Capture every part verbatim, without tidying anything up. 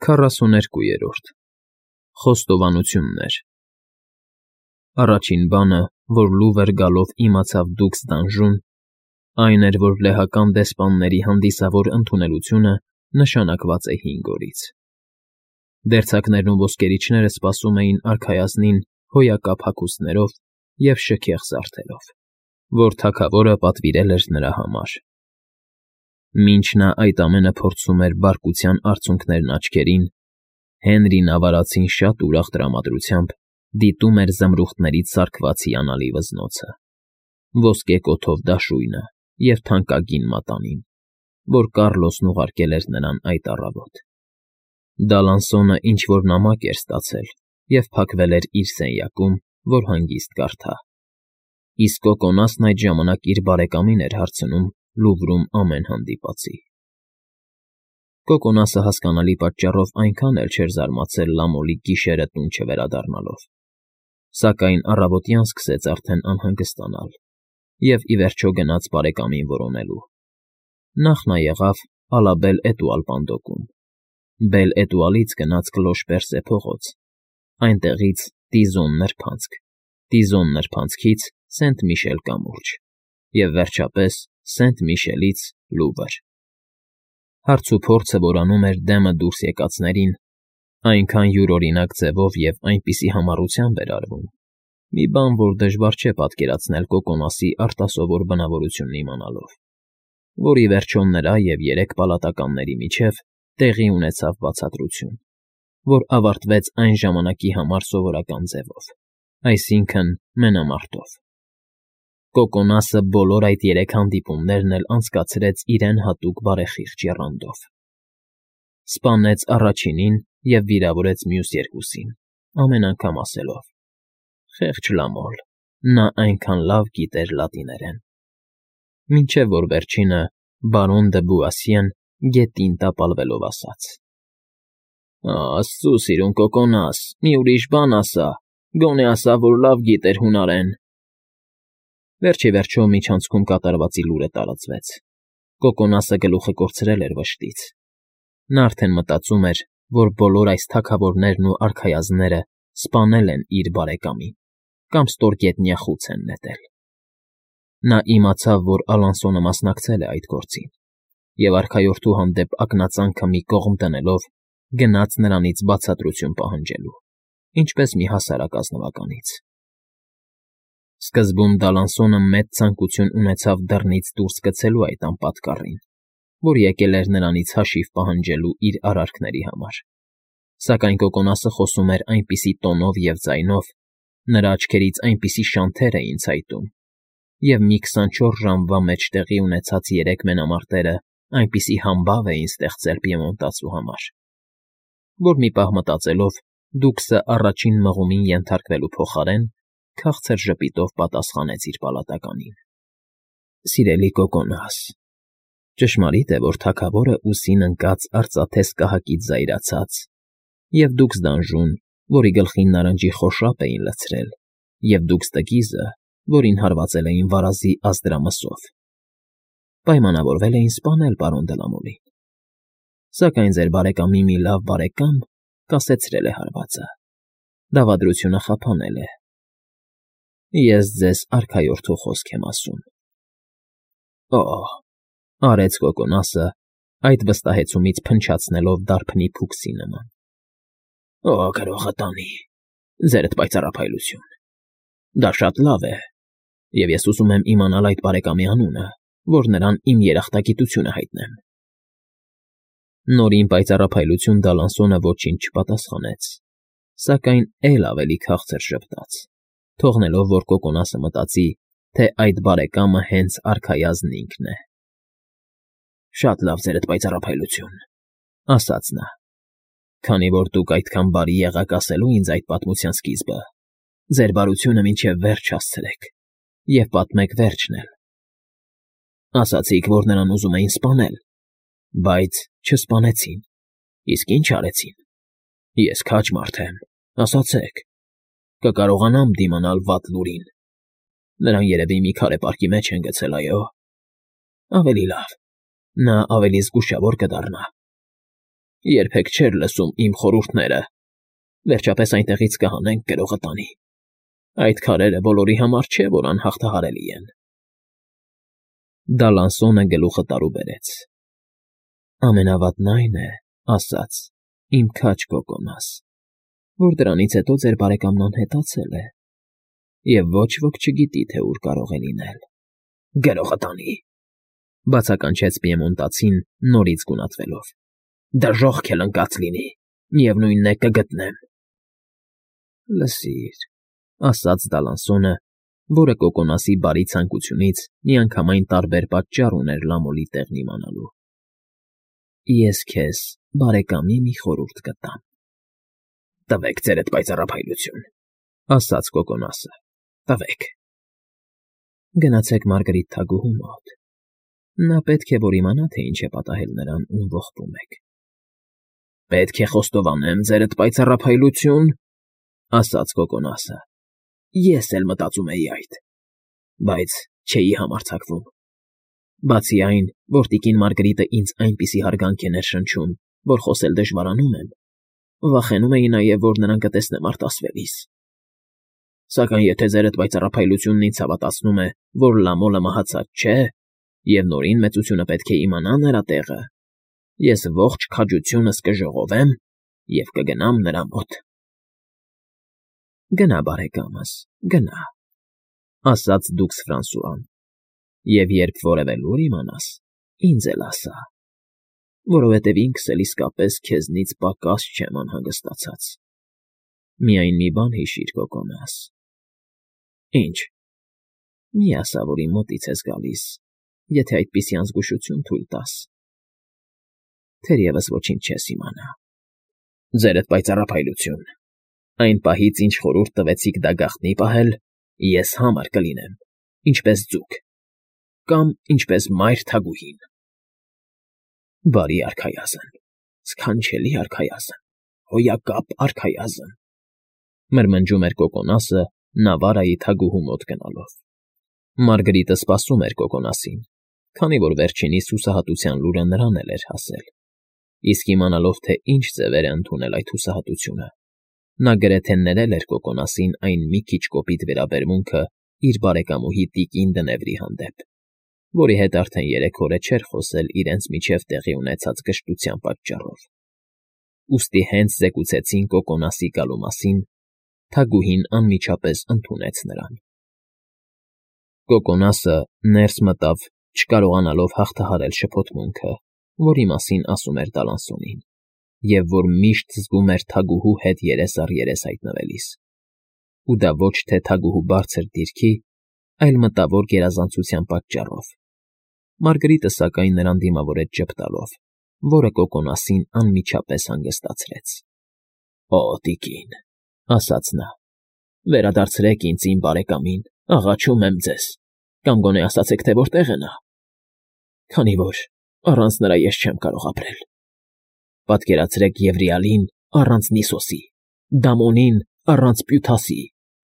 Քառասուներկուերորդ Խոստովանություններ Առաջին բանը, որ լուվր գալով իմացավ դուքս դանժում, այն էր, որ լեհական դեսպանների հանդիսավոր ընդունելությունը նշանակված է հինգ օրից։ Դերձակներն ու ոսկերիչները սպասում էին արքայազնին հոյակապ հագուստներով և շքեղ զարդերով, որ թագավորը պատվիրել էր նրա համար։ Մինչ նա այդ ամենը փորձում էր բարկության արցունքներն աչքերին, Հենրին ավարածին շատ ուրախ տրամադրությամբ դիտում էր զմրուխտներից սարքված հիանալի վզնոցը, ոսկե կոթով դաշույնը և թանկագին մատանին, որ Կառլոսն ուղարկել էր նրան այդ առավոտ։ Դալանսոնը ինչ֊որ նամակ էր ստացել և փակվել էր իր սենյակում, որ հանգիստ կարդա, իսկ Կոկոնասն այդ ժամանակ իր բարեկամին էր հարցնում Լուվրում ամեն հանդիպածի։ Կոկոնասը հասկանալի պատճառով այնքան էլ չէր զարմացել լամոլի գիշերը տուն չվերադառնալով, սակայն առավոտյան սկսեց արդեն անհանգստանալ և, ի վերջո, գնաց բարեկամին որոնելու։ Նախ նա եղավ Ալաբել֊Էտուալ պանդոկում, Բել֊Էտուալից գնաց Կլոշ֊Պերսե փողոց, այնտեղից Տիզոն նրբանցք, Տիզոն նրբանցքից Սենտ֊Միշել կամուրջ և, վերջապես, Սենտ֊Միշելից Լուվր։ Հարցուփորձը, որ անում էր դեմը դուրս եկածներին, այնքան յուրօրինակ ձևով և այնպիսի համառությամբ էր արվում, մի բան, որ դժվար չէ պատկերացնել Կոկոնասի արտասովոր բնավորությունն իմանալով, որ, ի վերջո, նրա և երեք պալատականների միջև տեղի ունեցավ բացատրություն, որ ավարտվեց այն ժամանակի համար սովորական ձևով, այսինքն՝ մենամարտով։ Կոկոնասը բոլոր այդ երեք հանդիպումներն էլ անցկացրեց իրեն հատուկ բարեխիղճ եռանդով. սպանեց առաջինին և վիրավորեց մյուս երկուսին, ամեն անգամ ասելով. «Խեղճ լամոլ, նա այնքան լավ գիտեր լատիներեն», մինչև որ վերջինը բարոն դը Բուասիեն գետին տապալվելով ասաց. «Աստծո սիրուն Կոկոնաս, մի ուրիշ բան ասա, գոնե ասա, որ լավ գիտեր հունարեն»։ Վերջ ի վերջո միջանցքում կատարվածի լուրը տարածվեց. Կոկոնասը գլուխը կորցրել էր վշտից։ Նա արդեն մտածում էր, որ բոլոր այս թագավորներն ու արքայազնները սպանել են իր բարեկամին կամ ստորգետնյա խուց են նետել։ Նա իմացավ, որ Ալանսոնը մասնակցել է այդ գործին և, արքայորդու հանդեպ ակնածանքը մի կողմ դնելով, գնաց նրանից բացատրություն պահանջելու, ինչպես մի հասարակ ազնվականից։ Սկզբում Դալանսոնը մեծ ցանկություն ունեցավ դռնից դուրս գցելու այդ անպատկառին, որ եկել էր նրանից հաշիվ պահանջելու իր արարքների համար, սակայն Կոկոնասը խոսում էր այնպիսի տոնով և ձայնով, նրա աչքերից այնպիսի շանթեր էին ցայտում, և մի քսանչորս ժամվա մեջ տեղի ունեցած երեք մենամարտերը այնպիսի համբավ էին ստեղծել պիեմոնտացու համար, որ մի պահ մտածելով դուքսը առաջին մղումին ենթարկվելու փոխարեն քաղցր ժպիտով պատասխանեց իր պալատականին. «Սիրելի Կոկոնաս, ճշմարիտ է, որ թագավորը ուսին ընկած արծաթե սկահակից զայրացած, և դուքս դանժուն, որի գլխին նարնջի խորշապ էին լցրել, և դուքս տկիզը, որին հարվածել էին վարազի ազդրամսով, պայմանավորվել էին սպանել պարոն Դլամոլին, սակայն ձեր բարեկամի մի լավ բարեկամ կասեցրել է հարվածը, դավադրությունը խափանել է։ Ես ձեզ արքայորդու խոսք եմ ասում»։ «Օ՜», արեց Կոկոնասը, այդ վստահեցումից փնչացնելով դարբնի փուքսի նման։ «Օ, գրողը տանի, ձերդ պայծառափայլություն, դա շատ լավ է, և ես ուզում եմ իմանալ այդ բարեկամի անունը, որ նրան իմ երախտագիտությունը հայտնեմ»։ Նորին պայծառափայլություն Դալանսոնը ոչինչ չպատասխանեց, սակայն էլ ավելի քաղցր ժպտաց, թողնելով, որ Կոկոնասը մտածի, թե այդ բարեկամը հենց արքայազնն ինքն է։ «Շատ լավ, ձերդ պայծառափայլություն», ասաց նա, «քանի որ դուք այդքան բարի եղաք ասելու ինձ այդ պատմության սկիզբը, ձեր բարությունը մինչև վերջ հասցրեք և պատմեք վերջն էլ։ Ասացիք, որ նրան ուզում էին սպանել, բայց չսպանեցին, իսկ ի՞նչ արեցին։ Ես քաջ մարդ եմ, ասացեք, կկարողանամ դիմանալ վատ լուրին։ Նրան երևի մի քարե պարկի մեջ են գցել, այո։ Ավելի լավ, նա ավելի զգուշավոր կդառնա։ երբեք չէր լսում իմ խորհուրդները, վերջապես այնտեղից կհանենք գրողը տանի, այդ քարերը բոլորի համար չէ, որ անհաղթահարելի են։ Դալանսոնը գլուխը տարուբերեց. ամենավատն այն է, ասաց, իմ քաջ Կոկոնաս, որ դրանից հետո ձեր բարեկամն անհետացել է, և ոչ ոք չգիտի, թե ուր կարող է լինել։ Գրողը տանի, բացականչեց Պիեմոնտացին նորից գունատվելով. դժոխք էլ ընկած լինի, միևնույնն է կգտնեմ։ Լսիր, ասաց Դալանսոնը, որը Կոկոնասի բարի ցանկությունից միանգամայն տարբեր պատճառ ուներ Լամոլի տեղն իմանալու։ Ես քեզ բարեկամի մի խորհուրդ կտամ։ Տվեք ձերդ պայծառափայլություն, ասաց Կոկոնասը, տվեք։ Գնացեք Մարգարիտ թագուհու մոտ։ Նա պետք է որ իմանա, թե ինչ է պատահել նրան, ում ողբում եք։ Պետք է խոստովանեմ ձերդ պայծառափայլություն, ասաց Կոկոնասը։ Ես էլ մտածում էի այդ, բայց չէի համարձակվում։ Բացի այն, որ տիկին Մարգարիտը ինձ այնպիսի հարգանք է ներշնչում, որ խոսել դժվարանում եմ, վախենում էի նաև, որ նրան կտեսնեմ արտասվելիս։ Սակայն եթե ձերդ պայծառափայլությունն ինձ հավատացնում է, որ Լամոլը մահացած չէ, և նորին մեծությունը պետք է իմանա նրա տեղը, ես ողջ քաջությունս կժողովեմ և կգնամ նրա մոտ։ Գնա, բարեկամս, գնա, ասաց դուքս Ֆրանսուան, և երբ որևէ լուր իմանաս, ինձ էլ ասա, որովհետև ինքս էլ իսկապես քեզնից պակաս չեմ անհանգստացած։ Միայն մի բան հիշիր, Կոկոնաս։ Ինչ։ Մի ասա, որ իմ մոտից ես գալիս, եթե այդպիսի անզգուշություն թույլ տաս։ Թերևս ոչինչ չես իմանա։ Ձերդ պայծառափայլություն, այն պահից, ինչ խորհուրդ տվեցիք դա գաղտնի պահել, ես համար կլինեմ, ինչպես ձուկ, կամ ինչպես մայր թագուհին։ Բարի արքայազն, սքանչելի արքայազն, հոյակապ արքայազն, մրմնջում էր Կոկոնասը Նավարայի թագուհու մոտ գնալով։ Մարգարիտը սպասում էր Կոկոնասին, քանի որ վերջինիս հուսահատության լուրը նրան էլ էր հասել, իսկ իմանալով, թե ինչ ձևեր է ընդունել այդ հուսահատությունը, նա գրեթե ներել էր Կոկոնասին այն մի քիչ կոպիտ վերաբերմունքը իր բարեկամուհի տիկին Դնևրի հանդեպ, որի հետ արդեն երեք օր չէր խոսել իրենց միջև տեղի ունեցած կշտության պատճառով։ Ուստի հենց զեկուցեցին Կոկոնասի գալու մասին, թագուհին անմիջապես ընդունեց նրան։ Կոկոնասը ներս մտավ, չկարողանալով հաղթահարել շփոթմունքը, որի մասին ասում էր Դալանսոնին, և որ միշտ զգում էր թագուհու հետ երես առ երես հայտնվելիս։ Ու դա ոչ թե թագուհու բարձր դիրքի, այլ մտավոր գերազանցության պատճառով։ Մարգարիտը սակայն նրան դիմավորեց ժպտալով, որը Կոկոնասին անմիջապես հանգստացրեց։ Օ, տիկին, ասաց նա, վերադարձրեք ինձ իմ բարեկամին, աղաչում եմ ձեզ, կամ գոնե ասացեք, թե որտեղ է նա, քանի որ առանց նրա ես չեմ կարող ապրել։ Պատկերացրեք Եվրիալին առանց Նիսոսի, Դամոնին առանց Պյութասի,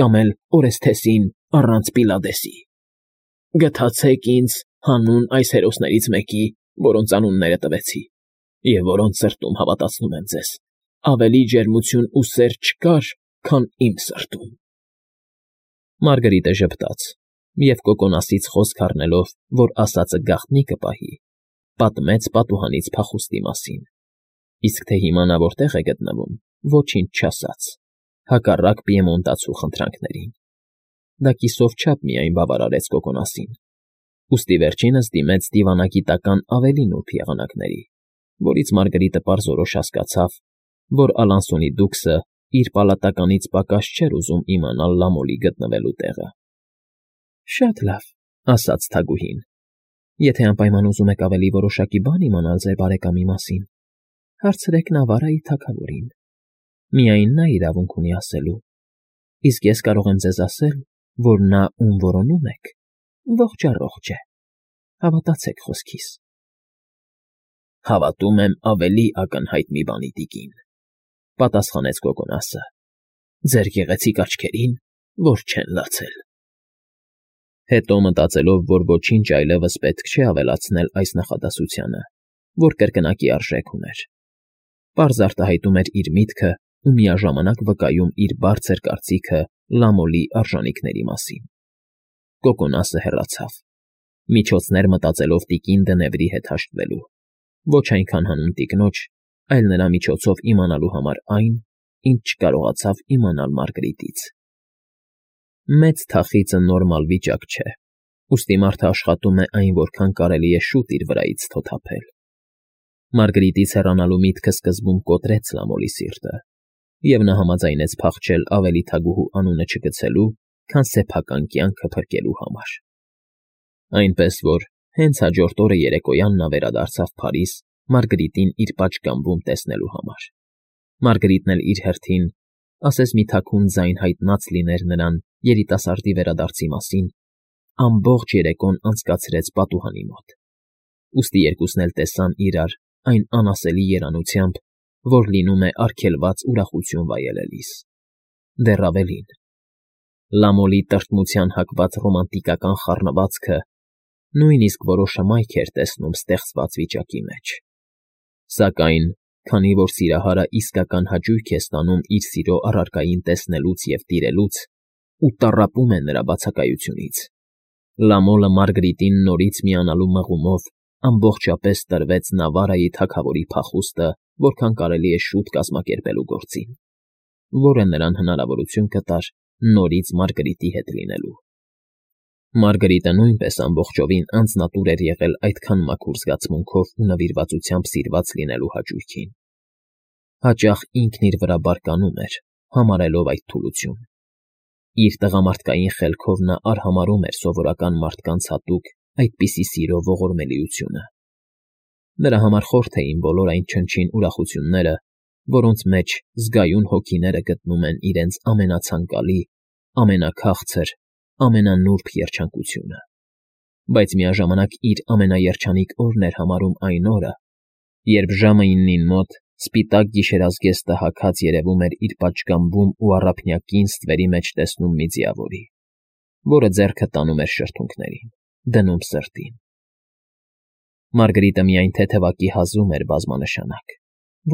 կամ էլ Օրեսթեսին առանց Պիլադեսի։ Գթացեք ինձ հանուն այս հերոսներից մեկի, որոնց անունները տվեցի, և որոնց սրտում, հավատացնում եմ ձեզ, ավելի ջերմություն ու սեր չկար, քան իմ սրտում։ Մարգարիտը ժպտաց, և Կոկոնասից խոսք առնելով, որ ասածը գաղտնի կպահի, պատմեց պատուհանից փախուստի մասին, իսկ թե հիմա նա որտեղ է գտնվում, ոչինչ չասաց, հակառակ պիեմոնտացու խնդրանքներին։ Դա կիսով չափ միայն բավարարեց Կոկոնասին, ուստի վերջինս դիմեց դիվանագիտական ավելի նուրբ եղանակների, որից Մարգարիտը պարզորոշ հասկացավ, որ Ալանսոնի դուքսը իր պալատականից պակաս չէր ուզում իմանալ Լամոլի գտնվելու տեղը։ Շատ լավ, ասաց թագուհին, եթե անպայման ուզում եք ավելի որոշակի բան իմանալ ձեր բարեկամի մասին, հարցրեք Նավարայի թագավորին։ Միայն նա իրավունք ունի ասելու, իսկ ես կարող եմ ձեզ ասել, որ նա, ում որոնում եք, ողջ առողջ է, հավատացեք խոսքիս։ Հավատում եմ ավելի ակնհայտ մի բանի, տիկին, պատասխանեց Կոկոնասը, ձեր գեղեցիկ աչքերին, որ չեն լացել։ Հետո մտածելով, որ ոչինչ այլևս պետք չէ ավելացնել այս նախադասությանը, որ կրկնակի արժեք ուներ, պարզ արտահայտում էր իր միտքը ու միաժամանակ վկայում իր բարձր կարծիքը Լամոլի արժանիքների մասին։ Կոկոնասը հեռացավ, միջոցներ մտածելով տիկին Դնևրի հետ հաշտվելու, ոչ այնքան հանուն տիկնոջ, այլ նրա միջոցով իմանալու համար այն, ինչ չկարողացավ իմանալ Մարգրիտից։ Մեծ թախիծը նորմալ վիճակ չէ, ուստի մարդը աշխատում է այն որքան կարելի է շուտ իր վրայից թոթափել։ Մարգրիտից հեռանալու միտքը սկզբում կոտրեց Լամոլի սիրտը, և նա համաձայնեց փախչել ավելի թագուհու անունը չգցելու, քան սեփական կյանքը փրկելու համար։ Այնպես որ հենց հաջորդ օրը երեկոյան նա վերադարձավ Փարիզ Մարգրիտին իր պատշգամբում տեսնելու համար։ Մարգրիտն էլ իր հերթին, ասես մի թաքուն ձայն հայտնած լիներ նրան երիտասարդի վերադարձի մասին, ամբողջ երեկոն անցկացրեց պատուհանի մոտ, ուստի երկուսն էլ տեսան իրար այն անասելի երանությամբ, որ լինում է արգելված ուրախություն վայելելիս։ Դեռ ավելին, Լամոլի տրտմության հակված ռոմանտիկական խառնվածքը նույնիսկ որոշ հմայք էր տեսնում ստեղծված վիճակի մեջ։ Սակայն, քանի որ սիրահարը իսկական հաճույք է ստանում իր սիրո առարկային տեսնելուց և տիրելուց ու տառապում է նրա բացակայությունից, Լամոլը Մարգրիտին նորից միանալու մղումով ամբողջապես տրվեց Նավարայի թագավորի փախուստը որքան կարելի է շուտ կազմակերպելու գործին, որը նրան հնարավորություն կտար նորից Մարգրիտի հետ լինելու։ Մարգրիտը նույնպես ամբողջովին անձնատուր էր եղել այդքան մաքուր զգացմունքով ու նվիրվածությամբ սիրված լինելու հաճույքին։ Հաճախ ինքն իր վրա բարկանում էր, համարելով այդ թուլություն։ Իր տղամարդկային խելքով նա արհամարհում էր սովորական մարդկանց հատուկ այդպիսի սիրո ողորմելիությունը։ Նրա համար խորթ էին բոլոր այն չնչին ուրախությունները, որոնց մեջ զգայուն հոգիները գտնում են իրենց ամենացանկալի, ամենաքաղցր, ամենանուրբ երջանկությունը, բայց միաժամանակ իր ամենաերջանիկ օրն էր համարում այն օրը, երբ ժամը իննին մոտ սպիտակ գիշերազգեստը հագած երևում էր իր պատշգամբում ու առափնյակին ստվերի մեջ տեսնում մի ձիավորի, որը ձեռքը տանում էր շրթունքներին, դնում սրտին։ Մարգրիտը միայն թեթևակի հազում էր բազմանշանակ,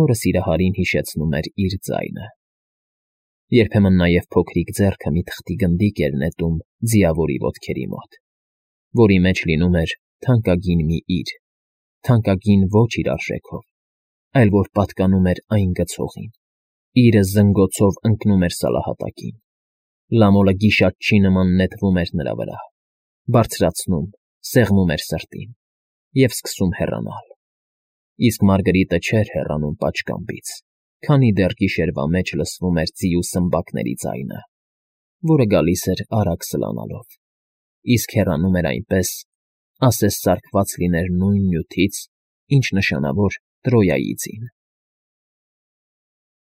որը սիրահարին հիշեցնում էր իր ձայնը։ Երբեմն նաև փոքրիկ ձեռքը մի թղթի գնդիկ էր նետում ձիավորի ոտքերի մոտ, որի մեջ լինում էր թանկագին մի իր, թանկագին ոչ իր արժեքով, այլ որ պատկանում էր այն գցողին։ Իրը զնգոցով ընկնում էր սալահատակին։ Լամոլը գիշատչի նման նետվում էր նրա վրա, բարձրացնում, սեղմում էր սրտին և սկսում հեռանալ։ Իսկ Մարգրիտը չէր հեռանում պատշգամբից, քանի դեռ գիշերվա մեջ լսվում էր ձիու սմբակների ձայնը, որը գալիս էր արագ սլանալով, իսկ հեռանում էր այնպես, ասես սարքված լիներ նույն նյութից, ինչ նշանավոր Տրոյայի ձին։